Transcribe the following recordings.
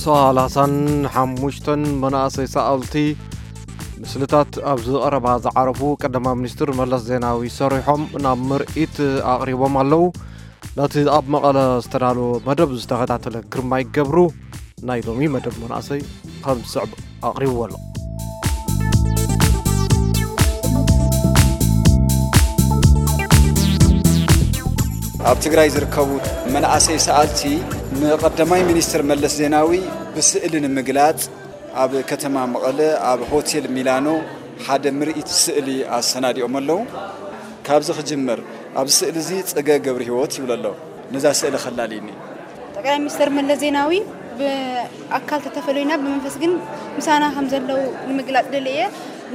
ሰላሳን ሓሙሽተን መናእሰይ ሰኣልቲ ምስልታት ኣብዚ ቀረባ ዝዓረፉ ቀዳማይ ሚኒስትር መለስ ዜናዊ ሰሪሖም ናብ ምርኢት ኣቕሪቦም ኣለዉ። ነቲ ኣብ መቐለ ዝተዳለወ መደብ ዝተኸታተለ ግርማይ ገብሩ ናይ ሎሚ መደብ መናእሰይ ከም ዝስዕብ ኣቕሪብዎ ኣሎ። ኣብ ትግራይ ዝርከቡ መናእሰይ ሰኣልቲ ንቀዳማይ ሚኒስትር መለስ ዜናዊ ብስእሊ ንምግላጽ ኣብ ከተማ መቐለ ኣብ ሆቴል ሚላኖ ሓደ ምርኢት ስእሊ ኣሰናዲኦም ኣለዉ። ካብዚ ክጅምር፣ ኣብዚ ስእሊ እዚ ጽገ ገብረ ህይወት ይብሎ ኣሎ። ነዛ ስእሊ ከላልይኒ። ጠቅላይ ሚኒስትር መለስ ዜናዊ ብኣካል ተተፈለዩና ብመንፈስ ግን ምሳና ከም ዘለዉ ንምግላጽ ደልየ።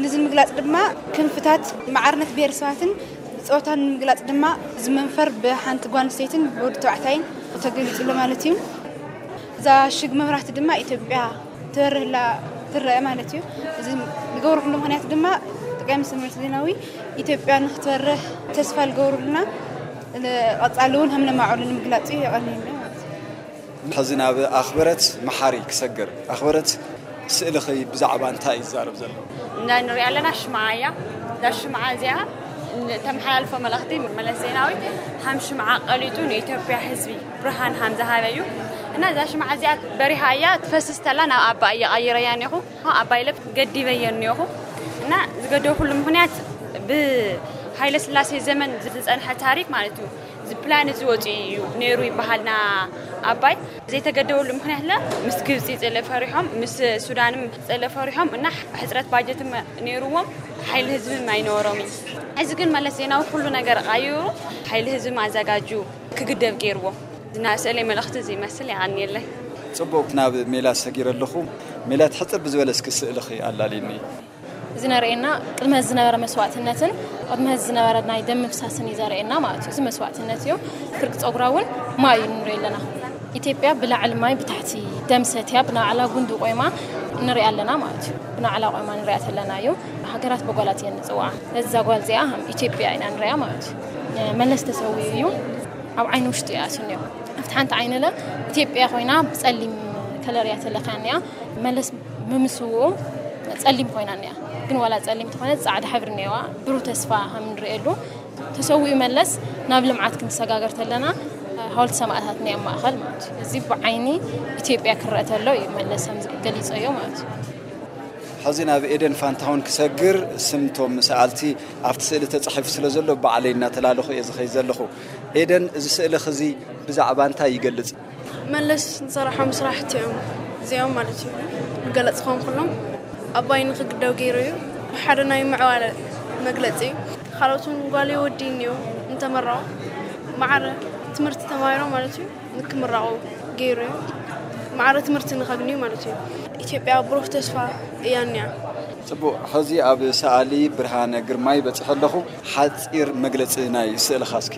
ነዚ ንምግላጽ ድማ ክንፍታት ማዕርነት ብሄረሰባትን ጾታን ንምግላጽ ድማ እዚ መንፈር ብሓንቲ ጓል ኣንስተይትን ብወዲ ተባዕታይን ተገሊጹ ኣሎ ማለት እዩ። እዛ ሽግ መብራህቲ ድማ ኢትዮጵያ ትበርህላ ትረአ ማለት እዩ። እዚ ዝገብርሉ ምኽንያት ድማ ጠቅላይ ሚኒስትር መለስ ዜናዊ ኢትዮጵያ ንክትበርህ ተስፋ ዝገብሩልና ቀጻሊ እውን ከም ነማዕብሉ ንምግላጽ እዩ። የቐንየለይ ማለት እዩ። ሕዚ ናብ ኣኽበረት መሓሪ ክሰግር። ኣኽበረት፣ ስእልኺ ብዛዕባ እንታይ እዩ ዝዛረብ ዘሎ? እንዳ ንሪኣ ኣለና ሽምዓ እያ። እዛ ሽምዓ እዚኣ ተመሓላልፎ መልእኽቲ መለስ ዜናዊ ከም ሽምዓ ቀሊጡ ንኢትዮጵያ ህዝቢ ብርሃን ከም ዝሃበ እዩ። እና እዛ ሽምዓ እዚኣ በሪሃ እያ ትፈስስ ተላ ናብ ኣባይ እየቐይረያ እኒኹ። ኣባይ ለብ ገዲበዮ እኒኹ። እና ዝገደብኩሉ ምኽንያት ብሃይለ ስላሴ ዘመን ዝፀንሐ ታሪክ ማለት እዩ። እዚ ፕላን እዚ ወፂኡ እዩ ነይሩ ይበሃል ና ኣባይ ዘይተገደበሉ ምኽንያት ለ ምስ ግብፂ ፅልእ ፈሪሖም ምስ ሱዳንም ፅልእ ፈሪሖም እና ሕፅረት ባጀት ነይርዎም ሓይሊ ህዝብም ኣይነበሮም እዩ። እዚ ግን መለስ ዜናዊ ኩሉ ነገር ቃይሩ ሓይሊ ህዝብም ኣዘጋጁ ክግደብ ገይርዎ። እና ስእለይ መልእኽቲ እዚ ይመስል። የቐንየለይ። ጽቡቅ፣ ናብ ሜላት ሰጊረ ኣለኹ። ሜላት፣ ሕጽር ብዝበለ እስኪ ስእልኺ ኣላልይኒ። እዚ ነርእየና ቅድሚ ሕዚ ዝነበረ መስዋእትነትን ቅድሚ ሕዚ ዝነበረ ናይ ደም ምፍሳስን እዩ ዘርእየና ማለት እዩ። እዚ መስዋእትነት እዩ። ፍርቂ ፀጉራ እውን ማይ እዩ ንርኢ ኣለና። ኢትዮጵያ ብላዕሊ ማይ ብታሕቲ ደም ሰትያ ብናዕላ ጉንዲ ቆይማ ንሪኣ ኣለና ማለት እዩ። ብናዕላ ቆይማ ንሪኣ ተለና እዩ። ሃገራት በጓላት እየን ንፅውዓ። ነዛ ጓል እዚኣ ከም ኢትዮጵያ ኢና ንሪኣ ማለት እዩ። መለስ ተሰዊኡ እዩ። ኣብ ዓይኒ ውሽጢ እያ ስንዮ ኣብቲ ሓንቲ ዓይኒ ለ ኢትዮጵያ ኮይና ብፀሊም ከለር እያ ተለኽያ እኒኣ። መለስ ብምስውኡ ፀሊም ኮይና እኒኣ። ግን ዋላ ፀሊም ተኾነ ፃዕዳ ሕብሪ እኒዋ ብሩህ ተስፋ ከም ንርእየሉ ተሰዊኡ መለስ ናብ ልምዓት ክንሰጋገር ተለና ሓወልቲ ሰማእታት እኒኣ ማእኸል ማለት እዩ። እዚ ብዓይኒ ኢትዮጵያ ክረአ ተሎ እዩ መለስ ከም ገሊፀዮ ማለት እዩ። ሕዚ ናብ ኤደን ፋንታሁን ክሰግር። ስምቶም ሰኣልቲ ኣብቲ ስእሊ ተጻሒፉ ስለ ዘሎ ባዕለይ እናተላለኹ እየ ዝኸይድ ዘለኹ። ኤደን፣ እዚ ስእልኺ እዚ ብዛዕባ እንታይ ይገልጽ? መለስ ዝሰራሖም ስራሕቲ እዮም እዚኦም ማለት እዩ። ክገለጽ ክኾን ከሎም ኣባይ ንክግደው ገይሩ እዩ። ሓደ ናይ ምዕባለ መግለጺ እዩ። ካልኦት እውን ጓል ወዲ እኒኦ እንተመረቑ ማዕረ ትምህርቲ ተማሂሮም ማለት እዩ። ንክምረቑ ገይሩ እዩ። ማዕረ ትምህርቲ ንኸግንዩ ማለት እዩ። ኢትዮጵያ ብሩህ ተስፋ እያ እኒኣ። ጽቡቕ፣ ሕዚ ኣብ ሰኣሊ ብርሃነ ግርማይ በጺሐ ኣለኹ። ሓጺር መግለጺ ናይ ስእልኻ እስኪ።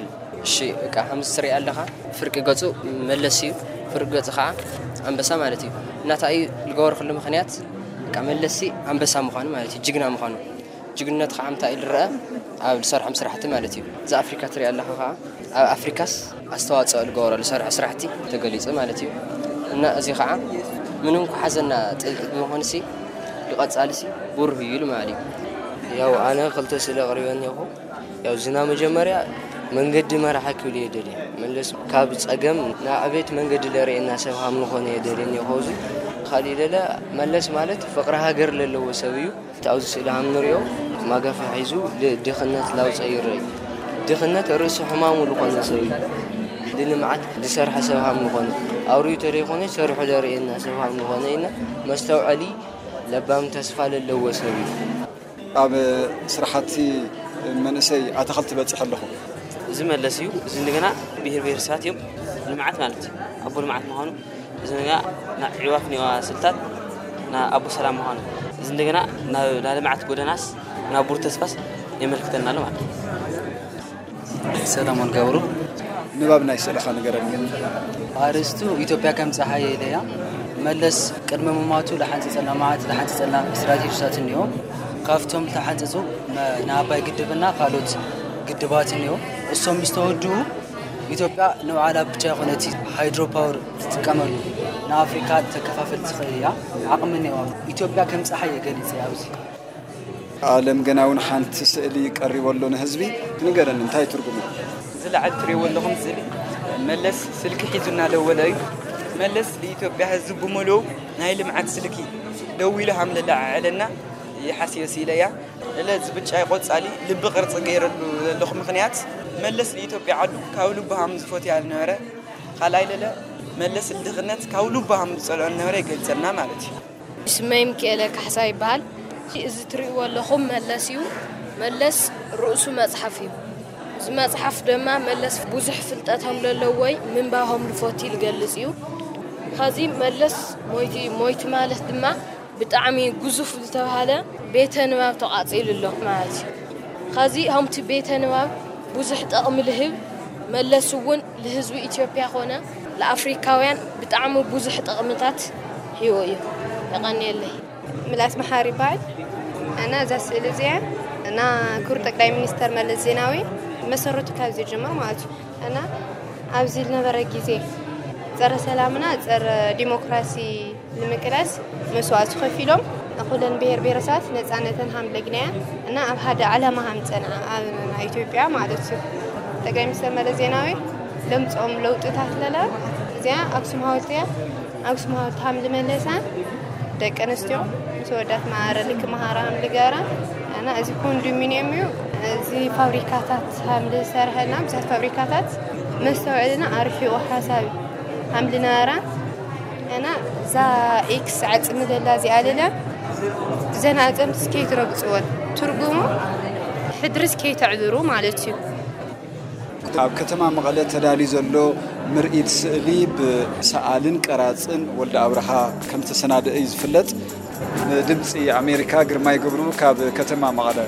እሺ፣ በቃ ከምዚ ትሪኦ ኣለኻ፣ ፍርቂ ገጹ መለስ እዩ፣ ፍርቂ ገጹ ኸዓ ኣንበሳ ማለት እዩ። እና እንታይ እዩ ዝገበርኩሉ ምኽንያት፣ በቃ መለስሲ ኣንበሳ ምዃኑ ማለት እዩ፣ ጅግና ምዃኑ። ጅግንነት ከዓ እንታይ እዩ ዝረአ ኣብ ዝሰርሖም ስራሕቲ ማለት እዩ። እዛ ኣፍሪካ ትሪኣ ኣለኻ ከዓ ኣብ ኣፍሪካስ ኣስተዋፅኦ ዝገበረሉ ዝሰርሖ ስራሕቲ ተገሊፁ ማለት እዩ። እና እዚ ከዓ ምንም ኩሓዘና ጥልቂ ብምኾንሲ ንቐፃልሲ ብሩህ እዩ ኢሉ ማለት እዩ። ያው ኣነ ክልተ ስእሊ ኣቕሪበ እኒኹ። ያው ዝና መጀመርያ መንገዲ መራሒ ክብል እየ ደልየ። መለስ ካብ ፀገም ናብ ዕቤት መንገዲ ለርእየና ሰብ ሃም ንኾነ እየ ደልየ እኒኹ። እዚ ካሊእ ደለ መለስ ማለት ፍቕሪ ሃገር ለለዎ ሰብ እዩ። እቲ ኣብዚ ስእሊ ከም ንሪኦ ማጋፍያ ሒዙ ድኽነት ላውፀ ይረኣይ። ድኽነት ርእሲ ሕማሙ ዝኾነ ሰብ እዩ። ንልምዓት ዝሰርሐ ሰብ ከም ዝኾነ፣ ኣውሪኡ ተደይኮነ ሰሪሑ ዘርእየና ሰብ ከም ዝኾነ ኢና መስተውዐሊ ለባም ተስፋ ለለዎ ሰብ እዩ። ኣብ ስራሕቲ መንእሰይ ኣታኽልቲ በፂሐ ኣለኹ። እዚ መለስ እዩ። እዚ እንደገና ብሄር ብሄረሰባት እዮም። ልምዓት ማለት እዩ። ኣቦ ልምዓት ምዃኑ እዚ ንጋ ናብ ዕዋፍ ኒዋ ስልታት ናብ ኣቦ ሰላም ምዃኑ እዚ እንደገና ናብ ልምዓት ጎደናስ ናብ ብሩህ ተስፋስ የመልክተና ኣሎ ማለት እዩ። ሰለሞን ገብሩ። ንባብ ናይ ስእልኻ ንገረኒ። ኣርእስቱ ኢትዮጵያ ከም ፀሓይ ኢለያ። መለስ ቅድሚ ምማቱ ዝሓንፀፀልና መዓት ዝሓንፀፀልና ስትራቴጂታት እኒኦ። ካብቶም ዝተሓንፀፁ ንኣባይ ግድብና ካልኦት ግድባት እኒኦ። እሶም ምስ ተወድኡ ኢትዮጵያ ንባዕላ ብቻ ይኾነቲ ሃይድሮ ፓወር ትጥቀመሉ ንኣፍሪካ ተከፋፈል ትኽእል እያ። ዓቕሚ እኒዋ ኢትዮጵያ ከም ፀሓይ እየ ገሊፀ ኣብዚ። ኣለም ገና እውን ሓንቲ ስእሊ ቀሪቦ ኣሎ ንህዝቢ። ንገረኒ እንታይ ትርጉሙ? ዝለዓል ትሪእዎ ኣለኹም ስእሊ መለስ ስልኪ ሒዙ እናደወለ እዩ። መለስ ንኢትዮጵያ ህዝብ ብምልኡ ናይ ልምዓት ስልኪ ደዊሉ ሃምለላ ዓዕለና ይሓስዮ ስኢለ እያ። እለ ዝብጫይ ቆጻሊ ልቢ ቅርጺ ገይረሉ ዘለኹ ምኽንያት መለስ ንኢትዮጵያ ዓዱ ካብ ልቡ ሃም ዝፈትያ ዝነበረ ካልኣይ ለለ መለስ ልድኽነት ካብ ልቡ ሃም ዝጸልኦ ዝነበረ ይገልጸልና ማለት እዩ። ስመይ ምክኤለ ካሕሳ ይበሃል። እዚ ትርእይዎ ኣለኹም መለስ እዩ። መለስ ርእሱ መጽሓፍ እዩ። እዚ መጽሓፍ ድማ መለስ ብዙሕ ፍልጠቶም ለለዎይ ምንባሆም ልፎቲ ልገልጽ እዩ። ከዚ መለስ ሞይቲ ሞይቲ ማለት ድማ ብጣዕሚ ግዙፍ ዝተባሃለ ቤተ ንባብ ተቓጺሉ ኣሎ ማለት እዩ። ከዚ ከምቲ ቤተ ንባብ ብዙሕ ጠቕሚ ልህብ መለስ እውን ልህዝቢ ኢትዮጵያ ኮነ ለኣፍሪካውያን ብጣዕሚ ብዙሕ ጠቕምታት ሂቦ እዩ። የቐንየለይ። ምላስ መሓሪ ይበሃል እና እዛ ስእሊ እዚኣ እና ክቡር ጠቅላይ ሚኒስተር መለስ ዜናዊ መሰረቱ ካብ ዝጅምር ማለት እዩ እና ኣብዚ ዝነበረ ግዜ ጸረ ሰላምና ጸረ ዲሞክራሲ ንምቅላስ መስዋእቲ ከፊሎም ኩለን ብሄር ብሄረሰባት ነፃነተን ሃምለግናያ እና ኣብ ሓደ ዓላማ ሃምፀና ኣብ ናይ ኢትዮጵያ ማለት እዩ። ጠቅላይ ሚኒስተር መለስ ዜናዊ ለምፅኦም ለውጥታት ለለ እዚኣ ኣክሱም ሃወልቲ እያ። ኣክሱም ሃወልቲ ሃምሊ መለሳ ደቂ ኣንስትዮ ምስ ወዳት ማዕረ ልክ መሃራ ሃምሊ ገራ እና እዚ ኮንዶሚኒየም እዩ። እዚ ፋብሪካታት ሃምሊ ዝሰርሐና ብዙሓት ፋብሪካታት መስተውዕልና ኣርሒቑ ሓሳብ ሃምሊ ነበራ እና እዛ ኤክስ ዓፅሚ ዘላ እዚኣ ልለ ብዘን ኣፀምቲ ስኬት ረግፅወን ትርጉሙ ሕድሪ ስኬት ኣዕብሩ ማለት እዩ። ኣብ ከተማ መቐለ ተዳልዩ ዘሎ ምርኢት ስእሊ ብሰኣልን ቀራጽን ወልደ ኣብርሃ ከም ተሰናደአ እዩ ዝፍለጥ። ንድምፂ ኣሜሪካ ግርማይ ገብሩ ካብ ከተማ መቐለ።